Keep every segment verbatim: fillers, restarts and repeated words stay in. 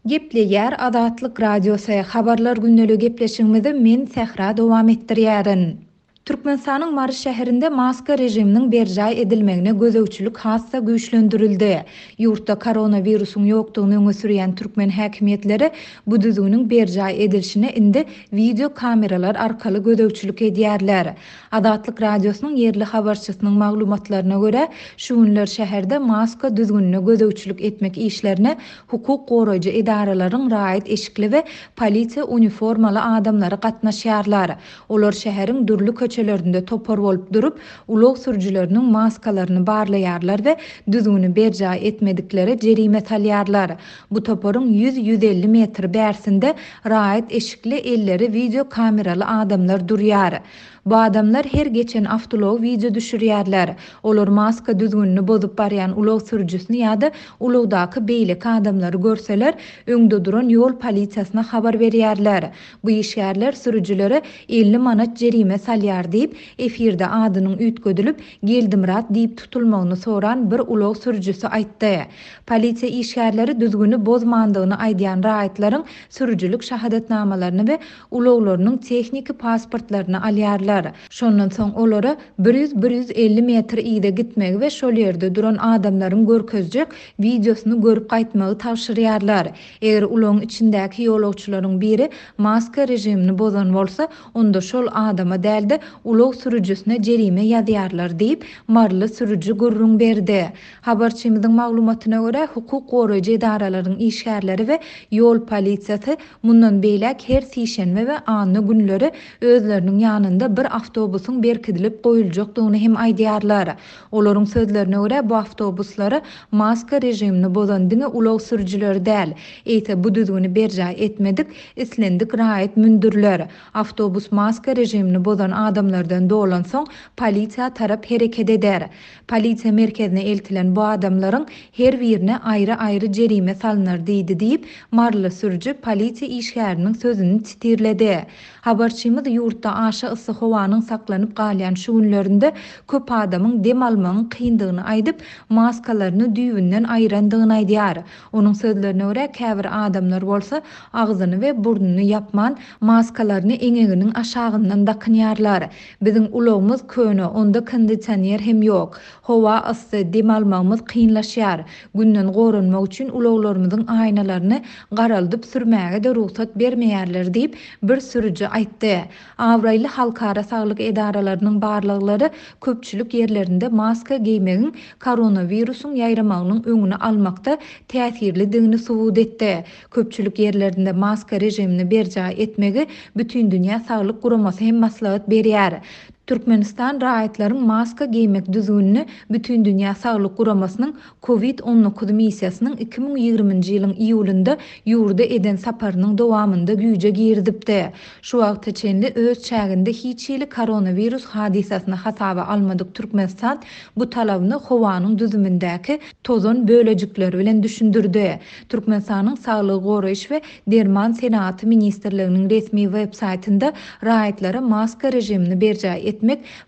Gepleýär Azatlyk Radiosy, Habarlar gündeligi gepleşigimizi men Sähra dowam etdirýärin. Türkmenistanyň Mary şäherinde maska režiminiň berjaý edilmegine gözegçilik has-da güýçlendirildi. Ýurtda koronawirusyň ýokdugyny öňe sürýän türkmen häkimiýetleri bu düzgüniň berjaý edilişine indi wideo kameralar arkaly gözegçilik edýärler. Azatlyk Radiosynyň ýerli habarçysynyň maglumatlaryna görä, şu günler şäherde maska düzgünine gözegçilik etmek işlerine hukuk goraýjy edaralaryň raýat eşikli we polisiýa uniformaly adamlary gatnaşýarlar. Olar şäheriň dürli köçelerinde topar bolup durup, ulag sürüjileriniň maskalaryny barlaýarlar we düzgüni berjaý etmediklere jerime salýarlar. Bu toparyň ýüz-ýüz elli metr bärsinde raýat eşikli elleri wideo kameraly adamlar durýar. Bu adamlar her geçen awtoulagy wideo düşürýärler. Olar maska düzgünini bozup barýan ulag sürüjisini ýa-da ulagdaky beýleki adamlary görseler, öňde duran ýol polisiýasyna habar berýärler. Bu işgärler sürüjilere elli manat jerime salýar diýip, efirde adynyň üýtgedilip, Geldimyrat diýip tutulmagyny soran bir ulag sürüjisi aýtdy. Polisiýa işgärleri düzgüni bozmandygyny aýdýan raýatlaryň sürüjilik şahadatnamalaryny we ulaglarynyň tehniki pasportlaryny alýarlar. Şondan soň olara bir ýüz-bir ýüz elli metr yza gitmegi we şol ýerde duran adamlaryň görkezjek wideosyny görüp gaýtmagy tabşyrýarlar. Eger ulagyň içindäki ýolagçylaryň biri maska režimini bozan bolsa, onda şol adama däl-de ulag sürüjisine jerime ýazýarlar diýip, maryly sürüji gürrüň berdi. Habarçymyzyň maglumatyna görä, hukuk goraýjy edaralaryň işgärleri we ýol polisiýasy mundan beýläk her sişenbe we anna günleri özleriniň ýanynda bir awtobusyň berkidilip goýuljakdygyny hem aýdýarlar. Olaryň sözlerine görä, bu awtobuslara maska režimini bozan diňe ulag sürüjileri däl, eýse bu düzgüni berjaý etmedik islendik raýat mündüriler. Awtobus maska režimini bozan adamlardan dolansoň polisiýa tarap hereket eder. Polisiýa merkezine eltilen bu adamlaryň her birine aýry-aýry jerime salynar diýdi diýip, maryly sürüji polisiýa işgäriniň sözüni titirledi. Habarçymyz ýurtda aşa yssy howanyň saklanyp galýan şu günlerinde köp adamyň dem almagyň kyndygyny aýdyp, maskalaryny düýbünden aýyrandygyny aýdýar. Onuň sözlerine görä, käbir adamlar bolsa agzyny we burnuny ýapman, maskalaryny eňeginiň aşagyndan dakynýarlar. Biziň ulagymyz köne, onda kondisioner hem ýok. Howa yssy, dem almagymyz kynlaşýar. Günden goranmak üçin ulaglarymyzyň aýnalaryny garaldyp sürmäge-de rugsat bermeýärler diýip, bir sürüji aýtdy. Abraýly halkara saglyk edaralarynyň barlaglary köpçülik ýerlerinde maska geýmegiň koronawirusyň ýaýramagynyň öňüni almakda täsirlidigini subut etdi. Köpçülik ýerlerinde maska režimini berjaý etmegi Bütindünýä Saglyk Guramasy hem maslahat berýär. Türkmenistan raýatlaryň maska geýmek düzgünini Bütindünýä Saglyk Guramasynyň Covid on dokuz missiýasynyň iki müň ýigriminji ýylyň iýulynda ýurda eden saparynyň dowamynda güýje girizipdi. Şu wagta çenli öz çäginde hiç hili koronawirus hadysasyny hasaba almadyk Türkmenistan bu talabyny howanyň düzümindäki tozan bölejikleri bilen düşündirdi. Türkmenistanyň Saglygy goraýyş we Derman senagaty ministrliginiň resmi web saýtynda raýatlara maska režimini berjaý etmek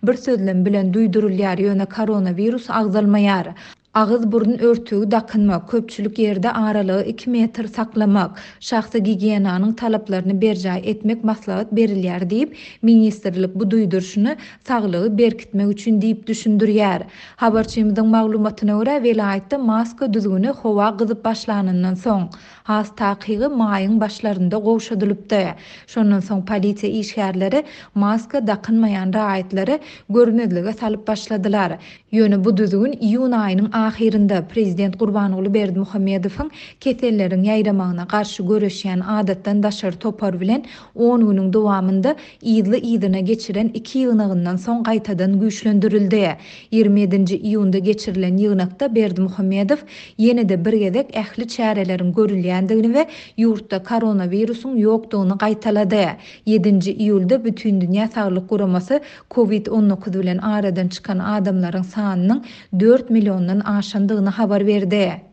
bir sözlem bilen duýdurylýar, ýöne koronawirus agzalmaýar. Agyz burun örtügi dakynmak, köpçülik ýerde aralygy iki metr saklamak, şahsy gigiýenanyň talaplaryny berjaý etmek maslahat berilýär diýip, ministrlik bu duýduryşyny saglygy berkitmek üçin diýip düşündirýär. Habarçymyzyň maglumatyna görä, welaýatda maska düzgüni howa gyzyp başlanyndan soň, has takygy maýyň başlarynda gowşadylypdy. Şondan soň polisiýa işgärleri maska dakynmaýan raýatlary görmezlige salyp başladylar. Ýöne bu düzgün iýun aýynyň ahyrynda Prezident Gurbanguly Berdimuhamedowyň keselleriň ýaýramagyna garşy göreşýän adatdan daşary topar bilen on günüň dowamynda yzly-yzyna geçiren iki ýygnagyndan soň gaýtadan güýçlendirildi. Ýigrimi ýedinji iýunda geçirilen ýygnakda Berdimuhamedow ýene-de bir gezek ähli çäreleriň görülýändigini we ýurtda koronawirusyň ýokdugyny gaýtalady. Ýedinji iýulda Bütindünýä Saglyk Guramasy Covid on dokuz bilen aradan çykan adamlaryň sanynyň dört milliondan aşandygyny habar berdi.